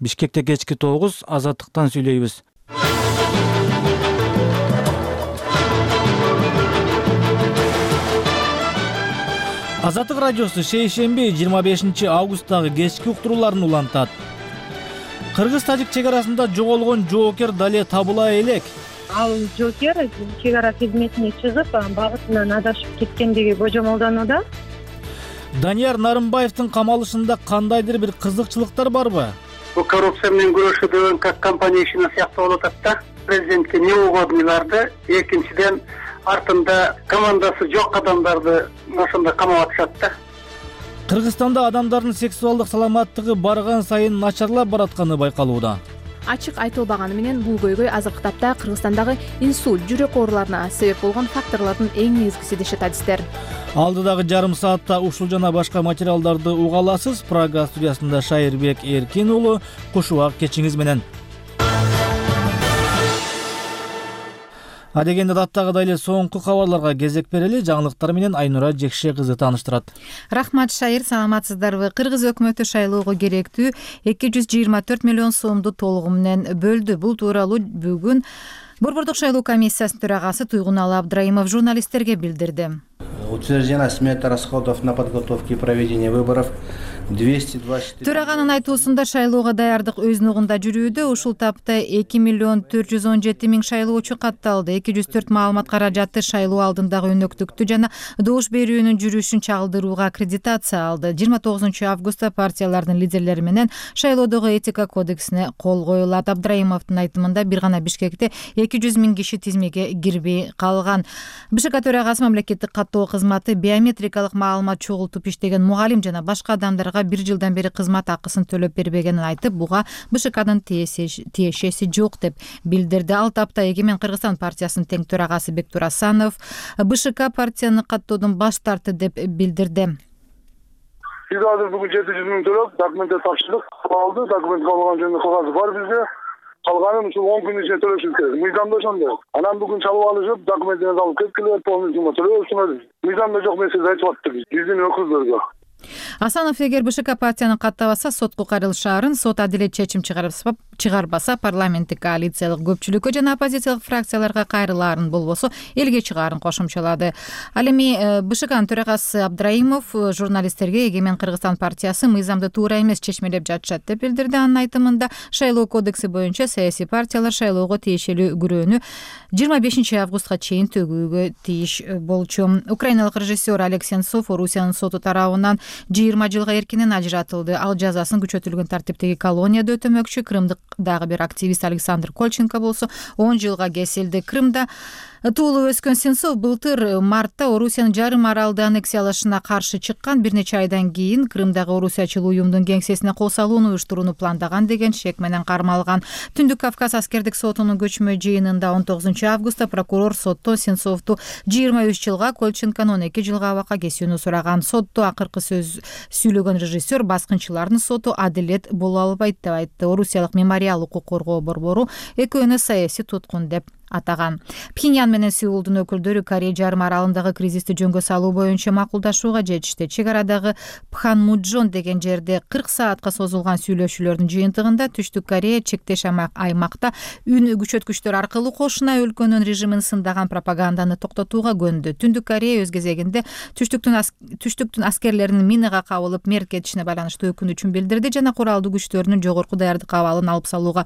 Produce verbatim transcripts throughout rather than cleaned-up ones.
Бишкекте кечки тогуз, Азаттыктан сүйлөйбүз. Азаттык радиосу шейшемби жыйырма бешинчи августтагы кечки уктурууларын улантат. Кыргыз-тажик чек арасында жоголгон жоокер дале табыла элек. Ал жоокер чек ара кызметине чыгып, багытынан адашып кеткендиги божомолдонууда. Данияр Нарымбаевдин камалышында кандайдыр бир кызыкчылыктар барбы? Бул коррупция менен күрөшүүдөн как компания ишине сыяктуу болуп атат да. Президентке неугодныйларды, экинчиден артында командасы жок адамдарды ошондо камап атышат да. Кыргызстанда адамдардын сексуалдык саламаттыгы барган сайын начарлап баратканы байкалууда. Ачык айтылбаганы менен бул көйгөй азыркы тапта Кыргызстандагы инсульт, жүрөк ооруларына себеп болгон факторлордун эң негизгиси дешет адистер. Алдыдагы жарым саатта ушул жана башка материалдарды уга аласыз. Прага студиясында Шайырбек Эркин уулу, кушубак кечиңиз менен. Адегенде даттагыдай эле соңку кабарларга кезек берели. Жаңылыктар менен Айнура Жекше кызы тааныштырат. Рахмат, Шайыр, саламатсыздарбы? Кыргыз өкмөтү шайлоого керектүү эки жүз жыйырма төрт миллион сомду толугу менен бөлдү. Бул тууралуу бүгүн Борбордук шайлоо комиссиясынын төрагасы Туйгуналы Абдраимов журналисттерге билдирди. Утверждена смета расходов на подготовку и проведение выборов двести двадцать четыре. Төраганын айтуусунда шайлоого даярдык өз ногунда жүрүүдө. Ушул тапта эки миллион төрт жүз он жети миң шайлоочу катталды. эки жүз төрт маалымат каражаты шайлоо алдындагы өнөктүктү жана добуш берүүнүн жүрүшүн чагылдырууга аккредитация алды. жыйырма тогузунчу августта партиялардын лидерлери менен шайлоодогу этика кодексине кол коюлат. Абдраимовдун айтымында бир гана Бишкекте эки жүз миң киши тизмеге кирбей калган. БШК төрагасы мамлекеттик каттоо кызматы биометрикалык маалымат чогултуп иштеген мугалим жана башка адамдарга бир жылдан бери кызмат акысын төлөп бербегенин айтып, буга БШКдын тиешеси жок деп билдирди. Ал тапта Эгемен Кыргызстан партиясынын тең төрагасы Бектур Асанов БШК партияны каттоодон баш тартты деп билдирди. Биз азыр бүгүн жети жүз миң төлөп, документти тапшырдык, алды, документ калган жөнүндө кагазы бар бизде. Калганын ушул он күн ичинде төлөшүбүз керек. Мыйзамда ошондой. Анан бүгүн чалып алышып, документтерди алып кеткиле, полностью төлөбүз. Мыйзамда жок нерсе айтып атты биздин өкүлдөргө. Асанов эгер БШК партияны каттабаса, сотко кайрылышаарын, сот адилет чечим чыгарбаса, парламенттик коалициялык көпчүлүккө жана оппозициялык фракцияларга кайрылаарын, болбосо элге чыгаарын кошумчалады. Ал эми БШКнын төрагасы Абдраимов журналисттерге Эгемен Кыргызстан партиясы мыйзамды туура эмес чечмелеп жатышат деп билдирди. Анын айтымында шайлоо кодекси боюнча саясий партиялар шайлоого тиешелүү күрөөнү жыйырма бешинчи августка чейин төгүүгө тийиш болчу. Украиналык режиссер Олег Сенцов Орусиянын соту тарабынан жыйырма жылга эркинен ажыратылды. Ал жазасын күчөтүлгөн тартиптеги колонияда өтөмөкчү. Крымдык дагы бир активист Александр Кольченко болсо он жылга кесилди. Крымда туулуп өскөн Сенцов былтыр мартта Орусиянын жарым аралды аннексиялашына каршы чыккан. Бир нече айдан кийин Крымдагы орусиячыл уюмдун кеңсесине кол салууну уюштурууну пландаган деген шек менен кармалган. Түндүк Кавказ аскердик сотунун көчмө жыйынында он тогузунчу августта прокурор соттон Сенцовду жыйырма үч жылга, Кольченкону он эки жылга абакка кесүүнү сураган. Сотто акыркы сөз сүйлөгөн режиссер баскынчылардын соту адилет боло албайт деп айтты. Орусиялык мемориал укук коргоо борбору экөөнү саясий туткун деп атаган. Пхеньян менен Сеулдун өкүлдөрү Корей жарым аралындагы кризисти жөнгө салуу боюнча макулдашууга жетишти. Чек арадагы Пханмуджон деген жерде кырк саатка созулган сүйлөшүүлөрдүн жыйынтыгында Түштүк Корея чектеш аймакта үн күчөткүчтөр аркылуу кошуна өлкөнүн режимин сындаган пропаганданы токтотууга көндү. Түндүк Корея өз кезегинде Түштүктүн ас... Түштүктүн аскерлеринин минага кабылып мерт кетишине байланыштуу өкүнүчүн билдирди жана куралдуу күчтөрүнүн жогорку даярдык абалын алып салууга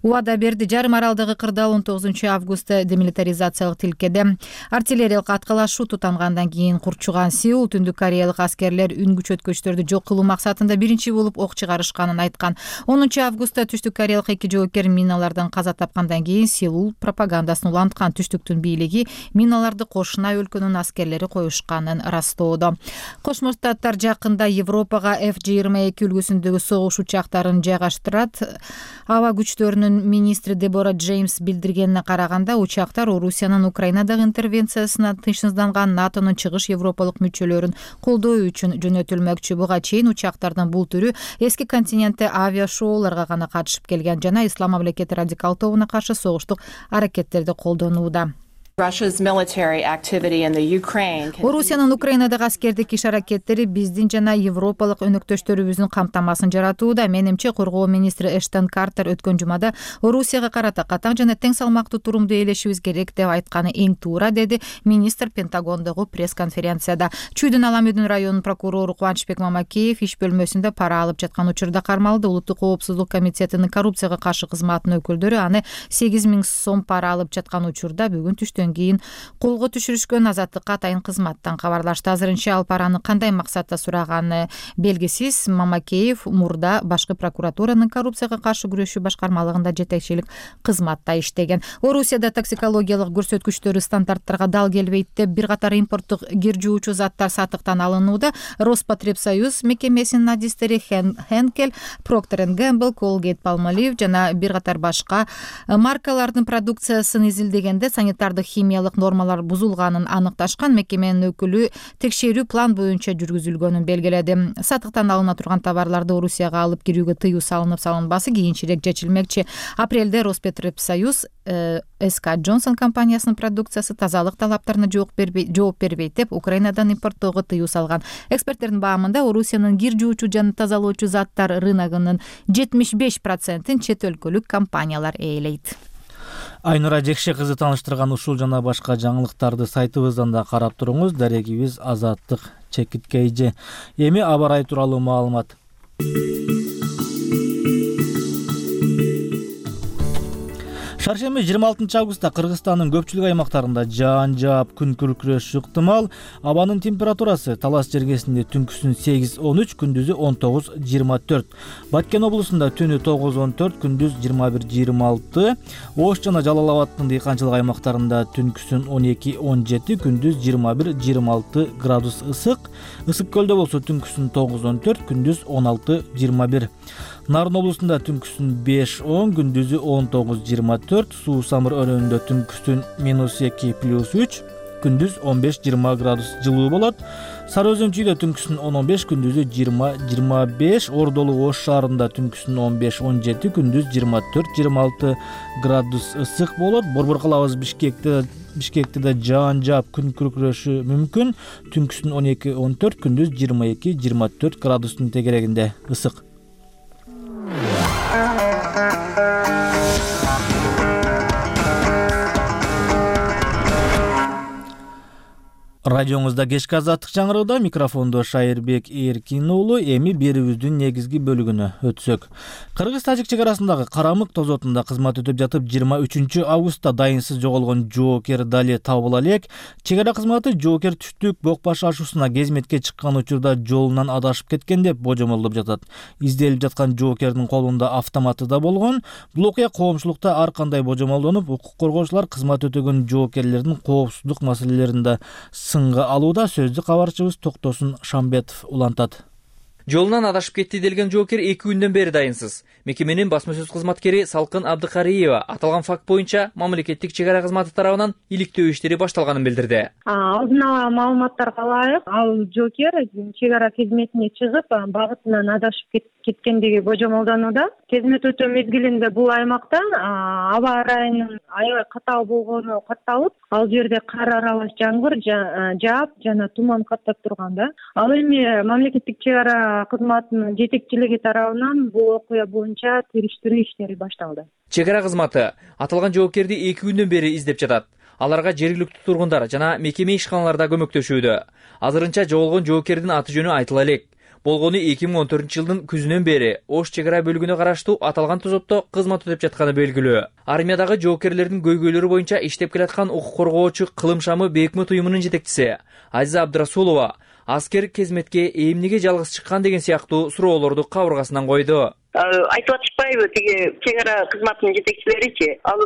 убада берди. Жарым аралдагы кырдаал он тогузунчу августта демилитаризациялык тилкеде артиллериялык аткылашуу тутангандан кийин курчуган Сеул Түндүк Кореялык аскерлер үн күчөткүчтөрдү жок кылуу максатында биринчи болуп ок чыгарышканын айткан. онунчу августта Түштүк Кореялык эки жоокер миналардан каза тапкандан кийин Сеул пропагандасын уланткан. Түштүктүн бийлиги миналарды кошуна өлкөнүн аскерлери коюшканын растоодо. Кошмо Штаттар жакында Европага эф жыйырма эки үлгүсүндөгү согуш учактарын жайгаштырат. Аба күчтөрүнүн министри Дебора Джеймс билдиргенине караганда, учактар Орусиянын Украинадагы интервенциясына тынчсызданган НАТОнун чыгыш европалык мүчөлөрүн колдоо үчүн жөнөтүлмөкчү. Буга чейин учактардын бул түрү эски континентте авиашоуларга гана катышып келген жана Ислам мамлекети радикал тобуна каршы согуштук аракеттерди колдонууда. Орусиянын Украинадагы аскердик иш-аракеттери биздин жана европалык өнөктөштөрүбүздүн камтамасын жаратууда. Менимче, коргоо министри Эштон Картер өткөн жумада Орусияга карата катаң жана тең салмактуу турумду ээлешибиз керек деп айтканы эң туура, деди министр Пентагондогу пресс-конференцияда. Чүйдүн Аламүдүн районунун прокурору Кубанычбек Мамакеев иш бөлмөсүндө пара алып жаткан учурда кармалды. Улуттук коопсуздук комитетинин коррупцияга каршы кызматынын өкүлдөрү аны сегиз миң сом пара алып жаткан учурда бүгүн түштөн кийин колго түшүрүшкөн, азаттыкка атайын кызматтан кабарлашты. Азырынча ал параны кандай максатта сураганы белгисиз. Мамакеев мурда башкы прокуратуранын коррупцияга каршы күрөшүү башкармалыгында жетекчилик кызматта иштеген. Орусияда токсикологиялык көрсөткүчтөрү стандарттарга дал келбейт деп бир катар импорттук кир жуучу заттар сатыктан алынууда. Роспотребсоюз мекемесинин адистери Henkel, Procter энд Gamble, Colgate Palmolive жана бир катар башка маркалардын продукциясын изилдегенде санитардык химиялык нормалар бузулганын аныкташкан. Мекеменин өкүлү текшерүү план боюнча жүргүзүлгөнүн белгиледи. Сатыктан алына турган товарларды Орусияга алып кирүүгө тыюу салынып салынбасы кийинчерээк чечилмекчи. Апрелде Роспотребсоюз эс ка Johnson компаниясынын продукциясы тазалык талаптарына жооп бербейт, жооп бербейт деп Украинадан импорттоого тыюу салган. Эксперттердин баамында Орусиянын кир жуучу жана тазалоочу заттар рыногунун жетимиш беш процентин чет өлкөлүк компаниялар ээлейт. Айнура Жекше кызы тааныштырган ушул жана башка жаңылыктарды сайтыбыздан да карап туруңуз. Дарегибиз Азаттык Чекиткейжи. Эми аба ырайы тууралуу маалымат. Шаршемби жыйырма алтынчы августта Кыргызстандын көпчүлүк аймактарында жаан жаап, күн күркүрөшү ыктымал. Абанын температурасы Талас жергесинде түнкүсүн сегиз он үч, күндүзү он тогуз жыйырма төрт. Баткен облусунда түнү тогуз он төрт, күндүз жыйырма бир жыйырма алты. Ош жана Жалал Абаддын дыйканчылык аймактарында түнкүсүн он эки он жети, күндүз жыйырма бир жыйырма алты градус ысык. Ысык көлдө болсо түнкүсүн тогуз он төрт, күндүз он алты жыйырма бир. Нарын облусунда түнкүсүн беш он, күндүзү он тогуз жыйырма төрт. Суу Самыр өрөөнүндө түнкүсүн минус эки плюс үч, күндүз он беш жыйырма градус жылуу болот. Сары Өзөн чүйдө түнкүсүн он он беш, күндүзү жыйырма жыйырма беш. Ордолу Ош шаарында түнкүсүн он беш он жети, күндүз жыйырма төрт жыйырма алты градус ысык болот. Борбор калабыз Бишкекте Бишкекте да жаан жаап, күн күркүрөшү мүмкүн. Түнкүсүн он эки он төрт, күндүз жыйырма эки жыйырма төрт градустун тегерегинде ысык. Радиоңузда кечки азаттык жаңырыуда, микрофондо Шайырбек Эркин уулу. Эми берүүбүздүн негизги бөлүгүнө өтсөк. Кыргыз-тажик чек арасындагы Карамык тозотунда кызмат өтөп жатып жыйырма үчүнчү августта дайынсыз жоголгон жоокер Дали табыла элек. Чек ара кызматы жоокер түштүк бок баш ашуусуна кезметке чыккан учурда жолунан адашып кеткен деп божомолдоп жатат. Изделип жаткан жоокердин колунда автоматы да болгон. Бул окуя коомчулукта ар кандай божомолдонуп, укук коргоочулар кызмат өтөгөн жоокерлердин коопсуздук маселелеринде сынга алууда. Сөздү кабарчыбыз Токтосун Шамбетов улантат. Жолунан адашып кетти делген жоокер эки күндөн бери дайынсыз. Мекеменин басма сөз кызматкери Салкын Абдыкариева аталган факт боюнча мамлекеттик чек ара кызматы тарабынан иликтөө иштери башталганын билдирди. Алдын ала маалыматтарга ылайык, ал жоокер чек ара кызметине чыгып, багытынан адашып кеткендиги божомолдонууда. Кызмет өтөө мезгилинде бул аймакта аба ырайынын аябай катаал болгону катталып, ал жерде кар аралаш жамгыр жаап жана туман каттап турган да. Ал эми мамлекеттик чек ара кызматынын жетекчилиги тарабынан бул окуя боюнча териштирүү иштери башталды. Чек ара кызматы аталган жоокерди эки күндөн бери издеп жатат. Аларга жергиликтүү тургундар жана мекеме ишканаларда көмөктөшүүдө. Азырынча жоголгон жоокердин аты жөнү айтыла элек. Болгону эки миң он төртүнчү жылдын күзүнөн бери Ош чек ара бөлүгүнө караштуу аталган тозотто кызмат өтөп жатканы белгилүү. Армиядагы жоокерлердин көйгөйлөрү боюнча иштеп келаткан укук коргоочу Кылым шамы Бейкмет уюмунун жетекчиси Азиза Абдрасулова аскер кезметке эмнеге жалгыз чыккан деген сыяктуу суроолорду кабыргасынан койду. Айтып атышпайбы тиги чек ара кызматынын жетекчилеричи, ал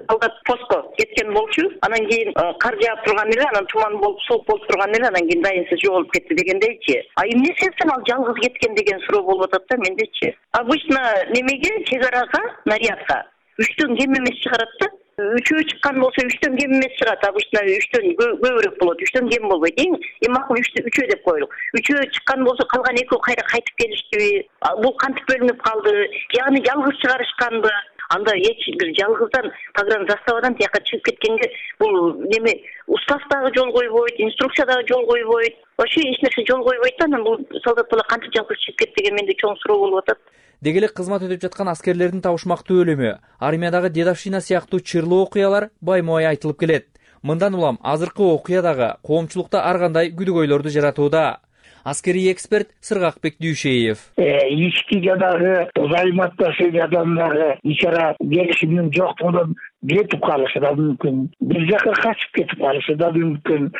солдат постко кеткен болчу, анан кийин кар жаап турган эле, анан туман болуп, суук болуп турган эле, анан кийин дайынсыз жоголуп кетти дегендейчи. А эмне себептен ал жалгыз кеткен деген суроо болуп атат да мендечи. Обычно немеге чек арага, нарядка үчтөн кем эмес чыгарат да. Үчөө чыккан болсо үчтөн кем эмес чыгат. Обычно үчтөн көбүрөөк болот. Үчтөн кем болбойт. Эң эң макул үчөө деп коелук. Үчөө чыккан болсо калган экөө кайра кайтып келиштиби? Бул кантип бөлүнүп калды? Яны жалгыз чыгарышканбы? анда эч бир жалгыздан погран заставадан тияка чыгып кеткенге бул неме устав дагы жол койбойт, инструкция дагы жол койбойт. Вообще эч нерсе жол койбойт да, анан бул солдат бала кантип жалгыз чыгып кетти деген менде чоң суроо болуп атат. Деги эле кызмат өтүп жаткан аскерлердин табышмактуу өлүмү, армиядагы дедовщина сыяктуу чырлуу окуялар байма-бай айтылып келет. Мындан улам азыркы окуя дагы коомчулукта ар кандай күдүгөйлөрдү жаратууда. Аскерий эксперт Сыргакбек Дүйшеев. Ички жадагы узайматташы адамдары ичара келишимдин жоктугунан кетип калышы да мүмкүн. Бир жака качып кетип калышы да мүмкүн.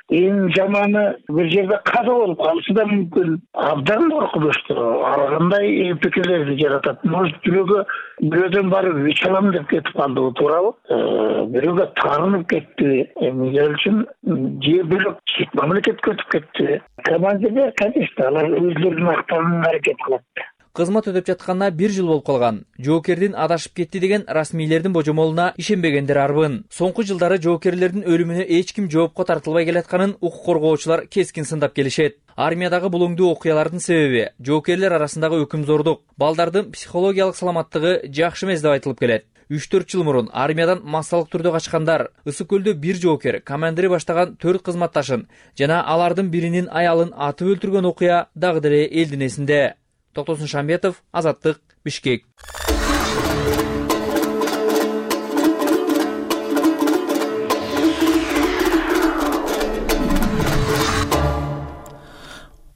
Эң жаманы бир жерде каза болуп калышы да мүмкүн. Абдан коркунучтуу. Ар кандай пикирлерди жаратат. Может, бирөөгө бирөөдөн барып үч алам деп кетип калды, туурабы? Бирөөгө таарынып кетти. Эмне үчүн же бөлөк чет мамлекетке өтүп кетти. Командир, конечно, алар өзлөрүнүн актарына аракет кылат. Кызмат өтүп жатканына бир жыл болуп калган. Жоокердин адашып кетти деген расмийлердин божомолуна ишенбегендер арбын. Соңку жылдары жоокерлердин өлүмүнө эч ким жоопко тартылбай келатканын укук коргоочулар кескин сындап келишет. Армиядагы булуңдуу окуялардын себеби жоокерлер арасындагы өкүмзордук, балдардын психологиялык саламаттыгы жакшы эмес деп айтылып келет. үч төрт жыл мурун армиядан массалык түрдө качкандар, Ысык көлдө бир жоокер командири баштаган төрт кызматташын жана алардын биринин аялын атып өлтүргөн окуя дагы деле элдин эсинде. Токтосун Шамбетов, Азаттык, Бишкек.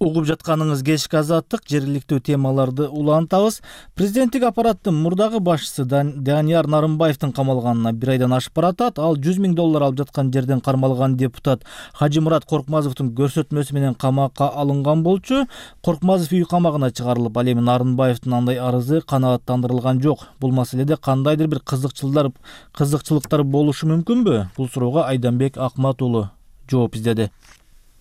Угуп жатканыңыз кечки Азаттык, жергиликтүү темаларды улантабыз. Президенттик аппараттын мурдагы башчысы Данияр Нарымбаевдин камалганына бир айдан ашып баратат. Ал жүз миң доллар алып жаткан жерден кармалган депутат Хажимурат Коркмазовдун көрсөтмөсү менен камакка алынган болчу. Коркмазов үй камагына чыгарылып, ал эми Нарымбаевдин андай арызы канааттандырылган жок. Бул маселеде кандайдыр бир кызыкчылыктар кызыкчылыктар болушу мүмкүнбү? Бул суроого Айданбек Акмат уулу жооп издеди.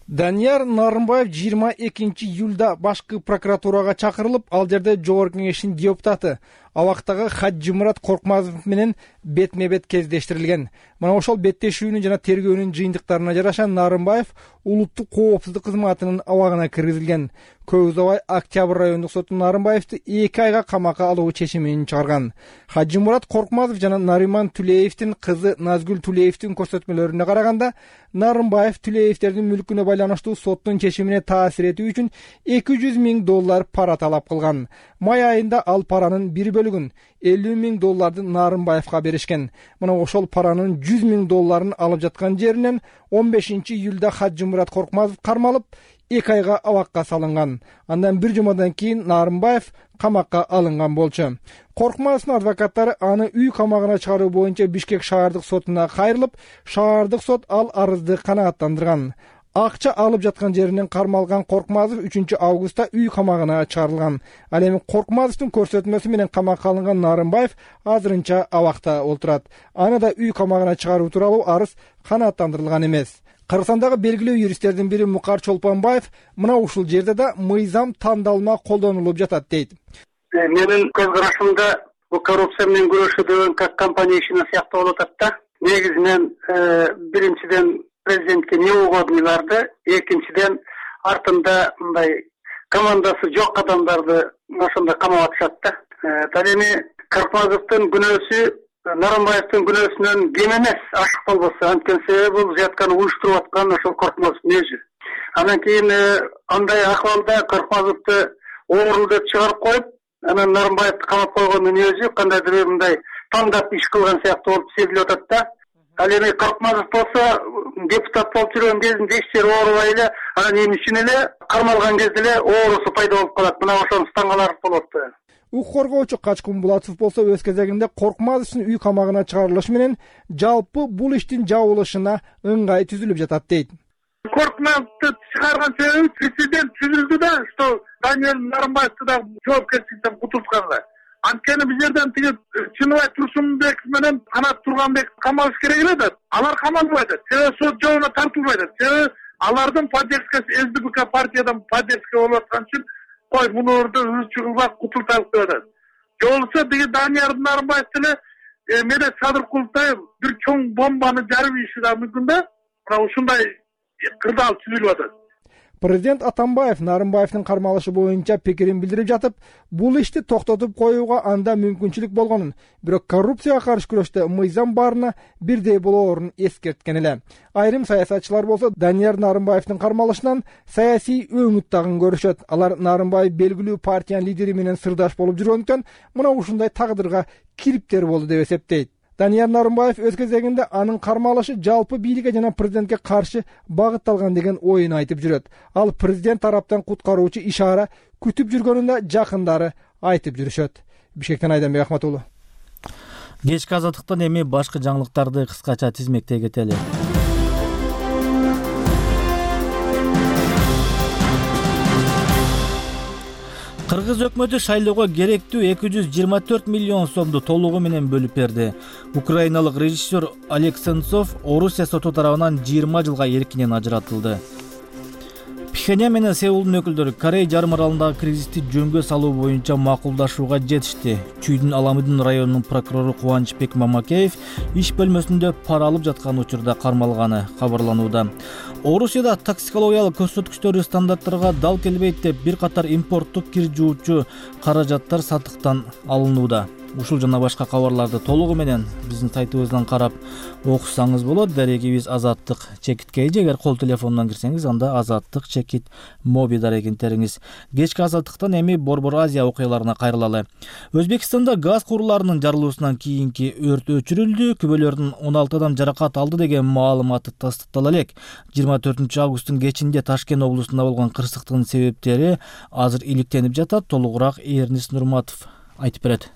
Данияр Нарымбаев жыйырма экинчи июлда башкы прокуратурага чакырылып, ал жерде Жогорку Кеңештин депутаты абактагы Хажимурат Коркмазов менен бетме-бет кездештирилген. Мына ошол беттешүүнүн жана тергөөнүн жыйынтыктарына жараша Нарымбаев улуттук коопсуздук кызматынын абагына киргизилген. Көп узабай Октябрь райондук соту Нарымбаевди эки айга камакка алуу чечимин чыгарган. Хажимурат Коркмазов жана Нариман Түлеевдин кызы Назгүл Түлеевдин көрсөтмөлөрүнө караганда, Нарымбаев Түлеевдердин мүлкүнө байланыштуу соттун чечимине таасир этүү үчүн эки жүз миң доллар пара талап кылган. Май айында ал паранын бир бөлүгүн элүү миң долларды Нарымбаевга беришкен. Мына ошол паранын жүз миң долларын алып жаткан жеринен он бешинчи июлда Хажимурат Коркмазов кармалып, эки айга абакка салынган. Андан бир жумадан кийин Нарымбаев камакка алынган болчу. Коркмазовдун адвокаттары аны үй камагына чыгаруу боюнча Бишкек шаардык сотуна кайрылып, шаардык сот ал арызды канааттандырган. Акча алып жаткан жеринен кармалган Коркмазов үчүнчү августта үй камагына чыгарылган. Ал эми Коркмазовдун көрсөтмөсү менен камакка алынган Нарымбаев азырынча абакта отурат. Аны да үй камагына чыгаруу тууралуу арыз канааттандырылган эмес. Кыргызстандагы белгилүү юристтердин бири Мукар Чолпонбаев мына ушул жерде да мыйзам тандалма колдонулуп жатат дейт. Менин көз карашымда бул коррупция менен күрөшүү деген как компания ишине сыяктуу болуп атат да. Негизинен биринчиден президентке неугодныйларды, экинчиден артында мындай командасы жок адамдарды ошондой камап атышат да. Ал эми Коркмазовдун күнөөсү Нарымбаевдин күнөөсүнөн кем эмес, ашык болбосо, анткени себеби бул жатканы уюштуруп аткан ошол Коркмазовдун өзү. Анан кийин андай акыбалда Коркмазовду оору деп чыгарып коюп, анан Нарымбаевди камап койгондун өзү кандайдыр бир мындай тандап иш кылган сыяктуу болуп сезилип атат да. Ал эми Коркмазов болсо депутат болуп жүргөн кезинде иштери оорубай эле, анан эмне үчүн эле кармалган кезде эле оорусу пайда болуп калат. Мына ошону стаңалар болот. Укук коргоочу Качкын Булатов болсо өз кезегинде Коркмазовдун үй камагына чыгарылышы менен жалпы бул иштин жабылышына ыңгай түзүлүп жатат дейт. Коркмазовду чыгарган себеби президент түзүлдү да, что Данияр Нарымбаевди да жоопкерчиликтен кутултканга. Анткени бул жерден тиги Чыныбай Турсунбек менен Канат Турганбек камалыш керек эле да. Алар камалбай атат. Себеби сот жолуна тартылбай атат. Себеби алардын поддержкасы СДПК партиядан поддержка болуп аткан үчүн кой мунурду үчү кылбак кутултайлык деп атат. Жолсо тиги Данияр Нарымбаев деле Медет Садыркуловтай бир чоң бомбаны жарып ийиши да мүмкүн да. Мына ушундай кырдаал түзүлүп атат. Президент Атамбаев Нарымбаевдин кармалышы боюнча пикирин билдирип жатып, бул ишти токтотуп коюуга анда мүмкүнчүлүк болгонун, бирок коррупцияга каршы күрөштө мыйзам баарына бирдей болоорун эскерткен эле. Айрым саясатчылар болсо Данияр Нарымбаевдин кармалышынан саясий өңүт тагын көрүшөт. Алар Нарымбаев белгилүү партиянын лидери менен сырдаш болуп жүргөндүктөн мына ушундай тагдырга кириптер болду деп эсептейт. Данияр Нарымбаев өз кезегинде анын кармалышы жалпы бийликке жана президентке каршы багытталган деген оюн айтып жүрөт. Ал президент тараптан куткаруучу ишара күтүп жүргөнүн да жакындары айтып жүрүшөт. Бишкектен Айданбек Ахмат уулу. Кечки азаттыктан эми башкы жаңылыктарды кыскача тизмектей кетели. Кыргыз өкмөтү шайлоого керектүү эки жүз жыйырма төрт миллион сомду толугу менен бөлүп берди. Украиналык режиссер Олег Сенцов Орусия соту тарабынан жыйырма жылга эркинен ажыратылды. Пхеньян менен Сеулдун өкүлдөрү Корей жарым аралындагы кризисти жөнгө салуу боюнча макулдашууга жетишти. Чүйдүн Аламыдын районунун прокурору Кубанычбек Мамакеев иш бөлмөсүндө пара алып жаткан учурда кармалганы кабарланууда. Орусияда токсикологиялык көрсөткүчтөрү стандарттарга дал келбейт деп бир катар импорттук кир жуучу каражаттар сатыктан алынууда. Ушул жана башка кабарларды толугу менен биздин сайтыбыздан карап окусаңыз болот. Дарегибиз Азаттык чекит кейжи. Эгер кол телефонунан кирсеңиз, анда Азаттык чекит моби дарегин териңиз. Кечки азаттыктан эми Борбор Азия окуяларына кайрылалы. Өзбекстанда газ куруларынын жарылуусунан кийинки өрт өчүрүлдү. Күбөлөрдүн он алты адам жаракат алды деген маалыматы тастыктала элек. жыйырма төртүнчү августтун кечинде Ташкент облусунда болгон кырсыктын себептери азыр иликтенип жатат. Толугураак Эрнис Нурматов айтып берет.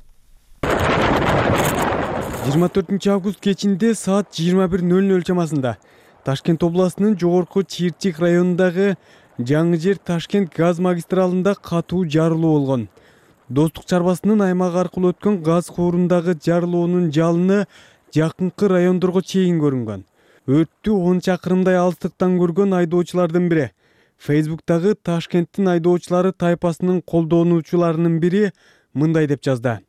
жыйырма төртүнчү август кечинде саат жыйырма бир ноль ноль чамасында Ташкент областынын Жогорку Чирчик районундагы Жаңы Жер Ташкент газ магистралында катуу жарылуу болгон. Достук чарбасынын аймагы аркылуу өткөн газ куурундагы жарылуунун жалыны жакынкы райондорго чейин көрүнгөн. Өрттү он чакырымдай алыстыктан көргөн айдоочулардын бири Фейсбуктагы Ташкенттин айдоочулары тайпасынын колдонуучуларынын бири мындай деп жазды.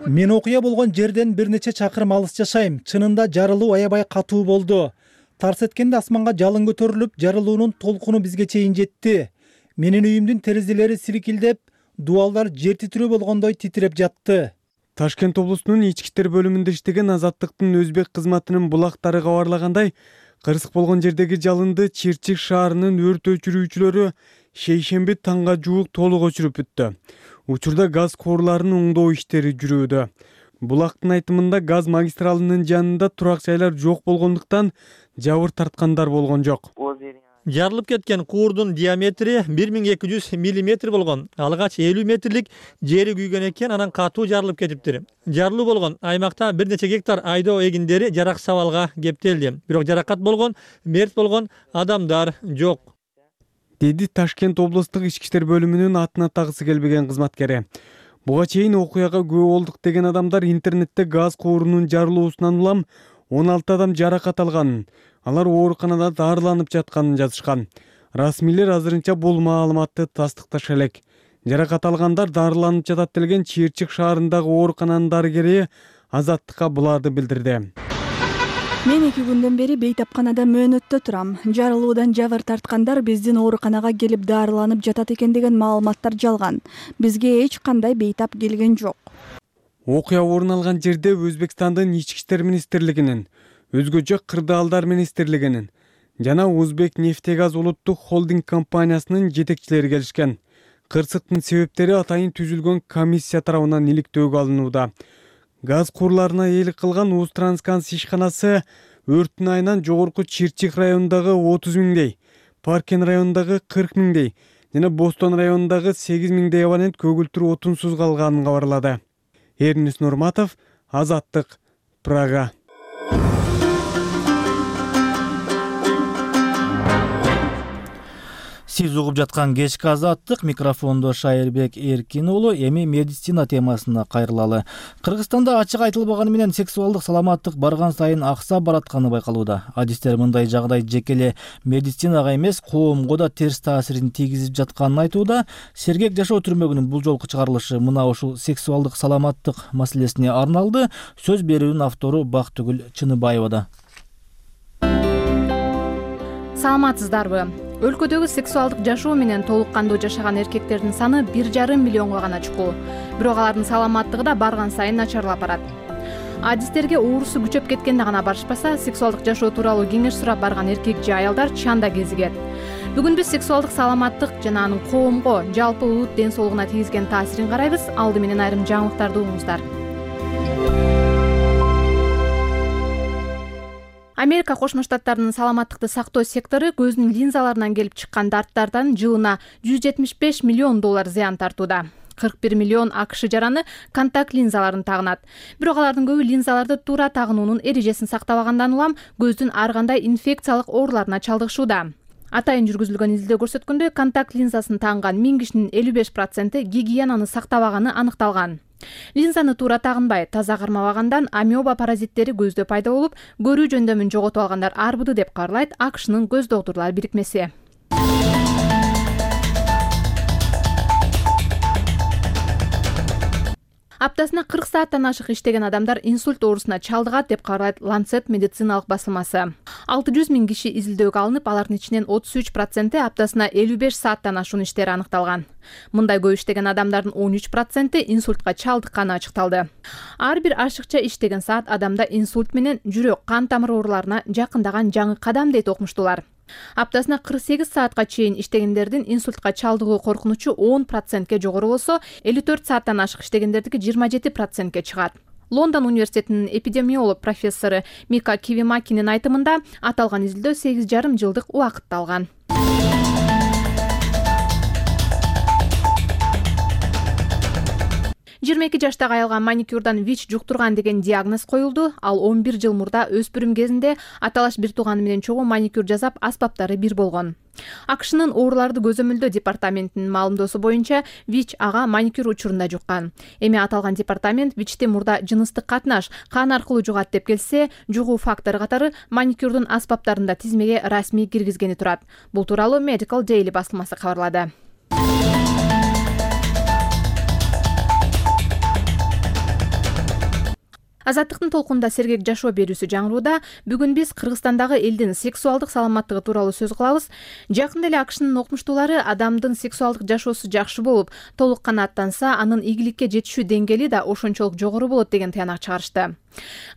Мен окуя болгон жерден бир нече чакырым алыс жашайм. Чынында жарылуу аябай катуу болду. Тарс эткенде асманга жалын көтөрүлүп, жарылуунун толкуну бизге чейин жетти. Менин үйүмдүн терезелери сиркилдеп, дубалдар жер титирөө болгондой титиреп жатты. Ташкент облусунун ички иштер бөлүмүндө иштеген Азаттыктын өзбек кызматынын булактары кабарлагандай, кырсык болгон жердеги жалынды Чирчик шаарынын өрт өчүрүүчүлөрү шейшемби таңга жуук толук өчүрүп бүттү. Учурда газ курларынын оңдоо иштери жүрүүдө. Булактын айтымында газ магистралынын жанында турак жайлар жок болгондуктан жабыр тарткандар болгон жок. Жарылып кеткен куурдун диаметри бир миң эки жүз миллиметр болгон. Алгач элүү метрлик жери күйгөн экен, анан катуу жарылып кетиптир. Жарылуу болгон аймакта бир нече гектар айдоо эгиндери жарак сабалга кептелди. Бирок жаракат болгон, мерт болгон адамдар жок, деди Ташкент облустук ички иштер бөлүмүнүн атын атагысы келбеген кызматкери. Буга чейин окуяга күбө болдук деген адамдар интернетте газ куурунун жарылуусунан улам он алты адам жаракат алганын, алар ооруканада дарыланып жатканын жазышкан. Расмийлер азырынча бул маалыматты тастыкташа элек. Жаракат алгандар дарыланып жатат делген Чирчик шаарындагы оорукананын дарыгери Азаттыкка буларды билдирди. Мен эки күндөн бери бейтапканада мөөнөттө турам. Жарылуудан жабыр тарткандар биздин ооруканага келип дарыланып жатат экен деген маалыматтар жалган. Бизге эч кандай бейтап келген жок. Окуя орун алган жерде Өзбекстандын ички иштер министрлигинин, өзгөчө кырдаалдар министрлигинин жана Узбек нефтегаз улуттук холдинг компаниясынын жетекчилери келишкен. Кырсыктын себептери атайын түзүлгөн комиссия тарабынан иликтөөгө алынууда. Газ курларына ээлик кылган Узтрансканс ишканасы өрттүн айынан Жогорку Чирчик районундагы отуз миңдей, Паркен районундагы кырк миңдей жана Бостон районундагы сегиз миңдей абонент көгүлтүр отунсуз калганын кабарлады. Эрнис Нурматов, Азаттык, Прага. Сиз угуп жаткан кечки Азаттык, микрофондо Шайырбек Эркин уулу. Эми медицина темасына кайрылалы. Кыргызстанда ачык айтылбаганы менен сексуалдык саламаттык барган сайын аксап баратканы байкалууда. Адистер мындай жагдай жеке эле медицинага эмес, коомго да терс таасирин тийгизип жатканын айтууда. Сергек жашоо түрмөгүнүн бул жолку чыгарылышы мына ушул сексуалдык саламаттык маселесине арналды. Сөз берүүнүн автору Бактыгүл Чыныбаевада. саламатсыздарбы? Өлкөдөгү сексуалдык жашоо менен толук кандуу жашаган эркектердин саны бир жарым миллионго гана чукул. Бирок алардын саламаттыгы да барган сайын начарлап барат. Адистерге оорусу күчөп кеткенде гана барышпаса, сексуалдык жашоо тууралуу кеңеш сурап барган эркек же аялдар чанда кезигет. Бүгүн биз сексуалдык саламаттык жана анын коомго, жалпы улут ден соолугуна тийгизген таасирин карайбыз. Алды менен айрым жаңылыктарды угуңуздар. Америка Кошмо Штаттарынын саламаттыкты сактоо сектору көздүн линзаларынан келип чыккан дарттардан жылына жүз жетимиш беш миллион доллар зыян тартууда. кырк бир миллион АКШ жараны контакт линзаларын тагынат. Бирок алардын көбү линзаларды туура тагынуунун эрежесин сактабагандан улам көздүн ар кандай инфекциялык ооруларына чалдыгышууда. Атайын жүргүзүлгөн изилдөө көрсөткөндөй, контакт линзасын тагынган миң кишинин элүү беш проценти гигиенаны сактабаганы аныкталган. Линзаны туура тагынбай, таза кармабагандан амеба паразиттери көздө пайда болуп, көрүү жөндөмүн жоготуп алгандар арбыды деп кабарлайт АКШнын көз доктурлар бирикмеси. Аптасына кырк сааттан ашык иштеген адамдар инсульт оорусуна чалдыгат деп кабарлайт Lancet медициналык басылмасы. алты жүз миң киши изилдөөгө алынып, алардын ичинен отуз үч проценти аптасына элүү беш сааттан ашуун иштери аныкталган. Мындай көп иштеген адамдардын он үч проценти инсультка чалдыкканы ачыкталды. Ар бир ашыкча иштеген саат адамда инсульт менен жүрөк, кан тамыр ооруларына жакындаган жаңы кадам дейт окумуштуулар. Аптасына кырк сегиз саатка чейин иштегендердин инсультка чалдыгуу коркунучу он процентке жогору болсо, элүү төрт сааттан ашык иштегендердики жыйырма жети процентке чыгат. Лондон университетинин эпидемиолог профессору Мика Кивимакинин айтымында, аталган изилдөө сегиз жарым жылдык убакытты алган. жыйырма эки жаштагы аялга маникюрдан ВИЧ жуктурган деген диагноз коюлду. Ал он бир жыл мурда өспүрүм кезинде аталаш бир тууганы менен чогуу маникюр жасап, аспаптары бир болгон. АКШнын ооруларды көзөмөлдөө департаментинин маалымдоосу боюнча, ВИЧ ага маникюр учурунда жуккан. Эми аталган департамент ВИЧти мурда жыныстык катнаш, кан аркылуу жугат деп келсе, жугуу фактору катары маникюрдун аспаптарында тизмеге расмий киргизгени турат. Бул тууралуу Medical Daily басылмасы кабарлады. Азаттыктын толкунда сергек жашоо берүүсү жаңырууда. Бүгүн биз Кыргызстандагы элдин сексуалдык саламаттыгы тууралуу сөз кылабыз. Жакында эле АКШнын окумуштуулары адамдын сексуалдык жашоосу жакшы болуп, толук канааттанса, анын ийгиликке жетишүү деңгээли да ошончолук жогору болот деген тыянак чыгарышты.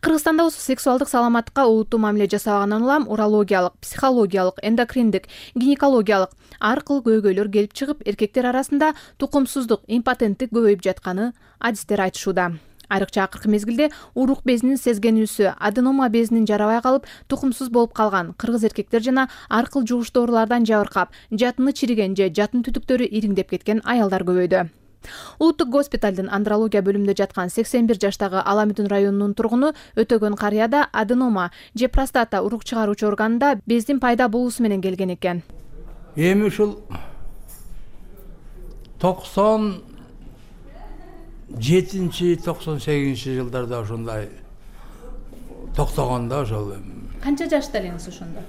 Кыргызстанда болсо сексуалдык саламаттыкка олуттуу мамиле жасабагандан улам урологиялык, психологиялык, эндокриндик, гинекологиялык ар кыл көйгөйлөр келип чыгып, эркектер арасында тукумсуздук, импотенттик көбөйүп жатканы адистер айтышууда. Айрыкча акыркы мезгилде урук безинин сезгенүүсү, аденома безинин жарабай калып, тукумсуз болуп калган кыргыз эркектер жана ар кыл жугуштуу оорулардан жабыркап, жатыны чириген же жатын түтүктөрү ириңдеп кеткен аялдар көбөйдү. Улуттук госпиталдын андрология бөлүмүндө жаткан сексен бир жаштагы Аламүдүн районунун тургуну Өтөгөн карыяда аденома же простата урук чыгаруучу органында бездин пайда болуусу менен келген экен. Эми ушул токсон жетинчи токсон сегизинчи жылдарда ошондой токтогондо ошол. Канча жашта элеңиз ошондо?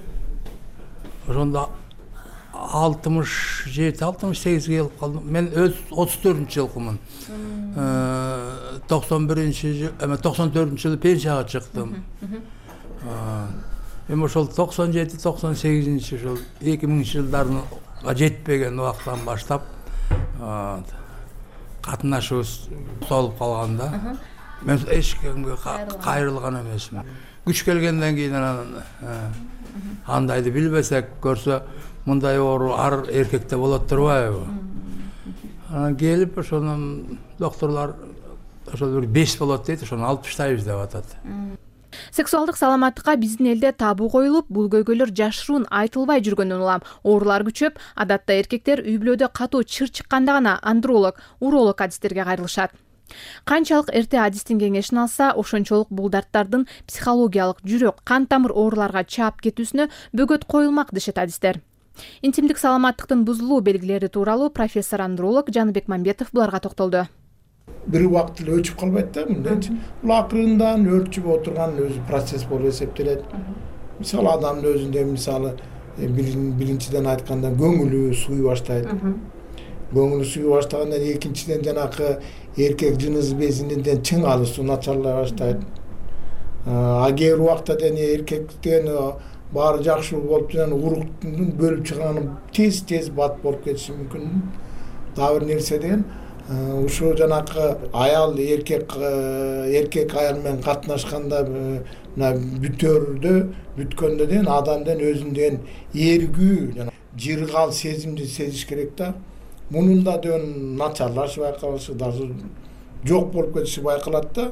Ошондо алтымыш жети алтымыш сегизге келип калдым. Мен өз отуз төртүнчү жылкумун. токсон биринчи жыл, эме токсон төртүнчү жылы пенсияга чыктым. Эми ошол токсон жети токсон сегизинчи ошол эки миңинчи жылдарга жетпеген убактан баштап катнашыбыз толуп калганда, мен эч кимге кайрылган эмесмин. Күч келгенден кийин анан андайды билбесек көрсө, мындай оору ар эркекте болот турбайбы? Анан келип ошонун докторлор ошол бир беш болот дейт, ошону алып таштайбыз деп атат. Сексуалдык саламаттыкка биздин элде табу коюлуп, бул көйгөйлөр жашыруун айтылбай жүргөндөн улам оорулар күчөп, адатта эркектер үй бүлөдө катуу чыр чыкканда гана андролог, уролог адистерге кайрылышат. Канчалык эрте адистин кеңешин алса, ошончолук бул дарттардын психологиялык, жүрөк, кан тамыр ооруларга чаап кетүүсүнө бөгөт коюлмак дешет адистер. Интимдик саламаттыктын бузулуу белгилери тууралуу профессор андролог Жаныбек Мамбетов буларга токтолду. Бир убакыт эле өчүп калбайт да мындайчы. Бул акырындан өрчүп отурган өзү процесс болуп эсептелет. Мисалы адамдын өзүндө мисалы биринчиден айтканда көңүлү сууй баштайт. Көңүлү сууй баштагандан экинчиден жанакы эркек жыныс безинен чың алысуу начарлай баштайт. А кээ бир убакта дене эркектен баары жакшы болуп жана уруктун бөлүп чыганы тез тез бат болуп кетиши мүмкүн. Дагы бир нерсе деген ушул жанакы аял эркек эркек аял менен катнашканда мына бүтөрдө бүткөндө деген адамдын өзүндөн эргүү жана жыргал сезимди сезиш керек да. Мунун да деген начарлашып байкалышы, даже жок болуп кетиши байкалат да.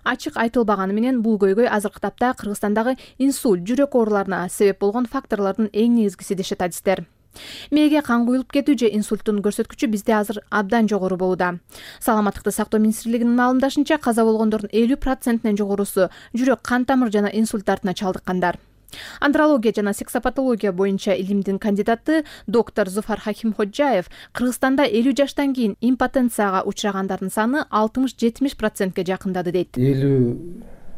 Ачык айтылбаганы менен бул көйгөй азыркы тапта Кыргызстандагы инсульт, жүрөк ооруларына себеп болгон факторлордун эң негизгиси дешет адистер. Мээге кан куюлуп кетүү же инсульттун көрсөткүчү бизде азыр абдан жогору болууда. Саламаттыкты сактоо министрлигинин маалымдашынча, каза болгондордун элүү процентинен жогорусу жүрөк кан тамыр жана инсульт дартына чалдыккандар. Андрология жана сексопатология боюнча илимдин кандидаты доктор Зуфар Хакимходжаев Кыргызстанда элүү жаштан кийин импотенцияга учурагандардын саны алтымыш жетимиш процентке жакындады дейт. элүү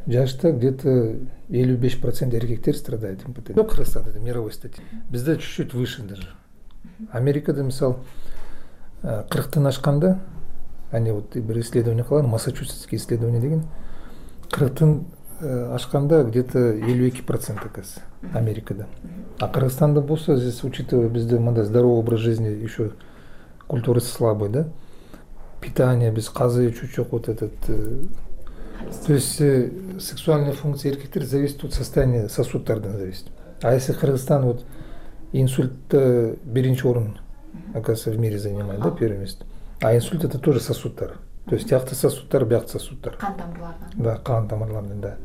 жашта где-то элүү беш процент эркектер страдает импотенцией. Кыргызстанда это мировой статистика. Бизде чуть-чуть выше даже. Америкада мисал кырктан ашканда, они вот бир исследование кылган, Массачусетский исследование деген, кырктан ашканда где-то элүү эки процент оказывается Америкада. А Кыргызстанда болсо, здесь учитывая бизде мындай здоровый образ жизни, еще культурасы слабый, да? Питание без казы чуть-чуть вот этот. То есть э, сексуальная функция эркектер зависит от состояния сосуддардан зависит. А если Кыргызстан вот инсульт биринчи орун, оказывается, в мире занимает, да, первое место. А инсульт это тоже сосуддар. То есть тиякты сосуддар, биякты сосуддар. Кан тамырлардан. Да, кан тамырлардан, да.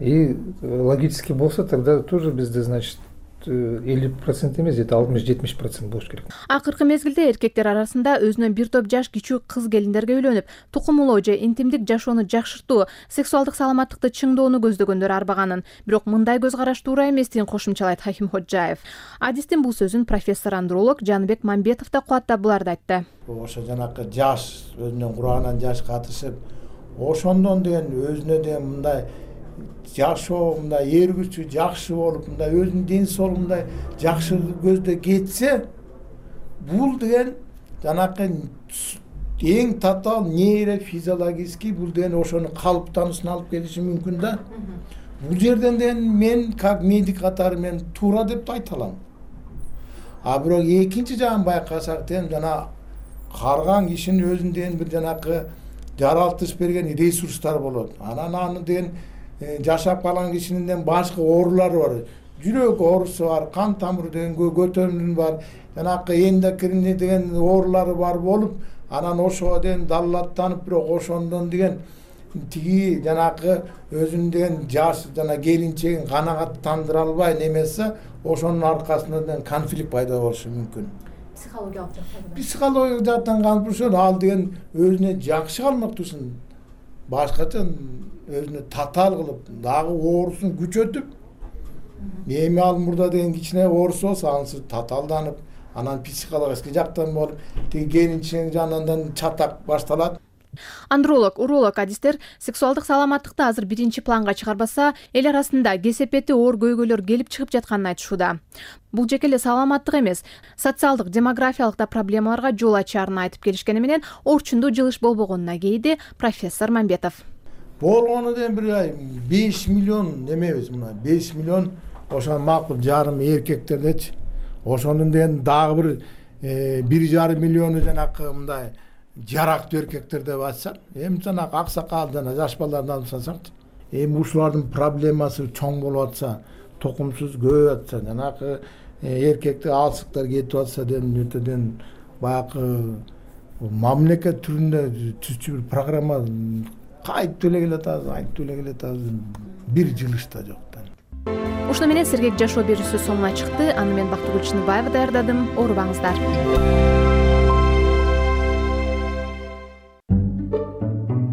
И логически болса, тогда тоже бизде, значит, элүү процент эмес, где-то алтымыш жетимиш процент болуш керек. Акыркы мезгилде эркектер арасында өзүнөн бир топ жаш кичүү кыз келиндерге үйлөнүп, тукумулоо же интимдик жашоону жакшыртуу, сексуалдык саламаттыкты чыңдоону көздөгөндөр арбаганын, бирок мындай көз караш туура эместигин кошумчалайт Хакимходжаев. Адистин бул сөзүн профессор андролог Жаныбек Мамбетов да кубаттап буларды айтты. Ошо жанакы жаш өзүнүн курагынан жаш катышып, ошондон деген өзүнө деген мындай жашоо мындай эргүүчү жакшы болуп, мындай өзүнүн ден соолугу мындай жакшы көздө кетсе, бул деген жанакы эң татаал нейрофизиологический бул деген ошонун калыптануусуна алып келиши мүмкүн да. Бул жерден деген мен как медик катары мен туура деп айта алам. А бирок экинчи жагын байкасак деген жана карган кишинин өзүндөн бир жанакы жаралтыш берген ресурстар болот. Анан аны деген жашап калган кишинин башка оорулары бар. Жүрөк оорусу бар, кан тамыр деген көтөрүмү бар, жанакы эндокринный деген оорулары бар болуп, анан ошого деген даллаттанып, бирок ошондон деген тиги жанакы өзүнүн деген жаш жана келинчегин канагаттандыра албай немесе, ошонун аркасынан конфликт пайда болушу мүмкүн. Психологиялык жактан. Психологиялык жактан конфликт ал деген өзүнө жакшы калмактуусун башкача өзүнө татаал кылып, дагы оорусун күчөтүп, эми ал мурда деген кичине оорусу болсо, анысы татаалданып, анан психологический жактан болуп, тиги келинчегин жанынан чатак башталат. Андролог, уролог адистер сексуалдык саламаттыкты азыр биринчи планга чыгарбаса, эл арасында кесепети оор көйгөйлөр келип чыгып жатканын айтышууда. Бул жеке эле саламаттык эмес, социалдык, демографиялык да проблемаларга жол ачаарын айтып келишкени менен орчундуу жылыш болбогонуна кейди профессор Мамбетов. Болгону деген бир беш миллион немебиз мына, беш миллион ошо макул жарым эркектердечи. Ошонун деген дагы бир бир жарым миллиону жанакы мындай жарактуу эркектер деп айтсак, эми жанакы аксакал жана жаш балдарды алып салсак, эми ушулардын проблемасы чоң болуп атса, токумсуз көбөйүп атса, жанакы эркектик алсыктар кетип атса деген өтөдөн баягы мамлекет түрүндө түзчү бир программа кайтып эле келатабыз, айтып эле келатабыз, бир жылышта жок да. Ушуну менен сергек жашоо берүүсү соңуна чыкты. Аны мен Бактыгүл Чыныбаева даярдадым. Оорубаңыздар.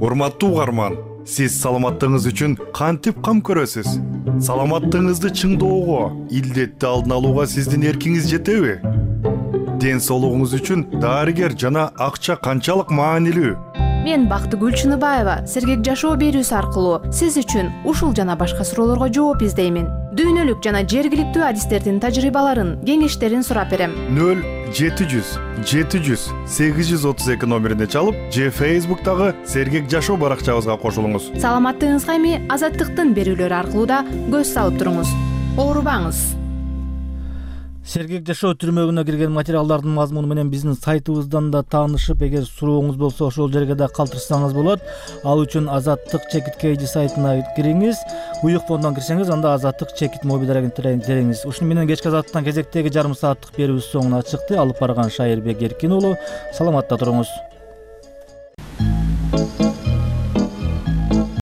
Урматтуу угарман, сиз саламаттыгыңыз үчүн кантип кам көрөсүз? Саламаттыгыңызды чыңдоого, илдетти алдын алууга сиздин эркиңиз жетеби? Ден соолугуңуз үчүн дарыгер жана акча канчалык маанилүү? Мен Бактыгүл Чыныбаева сергек жашоо берүүсү аркылуу сиз үчүн ушул жана башка суроолорго жооп издеймин. Дүйнөлүк жана жергиликтүү адистердин тажрыйбаларын, кеңештерин сурап берем. нөл жети жүз жети жүз сегиз жүз отуз эки номерине чалып, же Facebook'тагы сергек жашоо баракчабызга кошулуңуз. Саламаттыгыңызга эми азаттыктын берүүлөрү аркылуу да көз салып туруңуз. оорубаңыз. Сергек жашоо түрмөгүнө кирген материалдардын мазмуну менен биздин сайтыбыздан да таанышып, эгер сурооңуз болсо ошол жерге да калтырсаңыз болот. Ал үчүн Азаттык чекит кейжи сайтына кириңиз. Уюк фондон кирсеңиз, анда Азаттык чекит мобилдерин териңиз. Ушуну менен кечки Азаттыктан кезектеги жарым сааттык берүүбүз соңуна чыкты. Алып барган Шайырбек Эркин уулу. Саламатта туруңуз.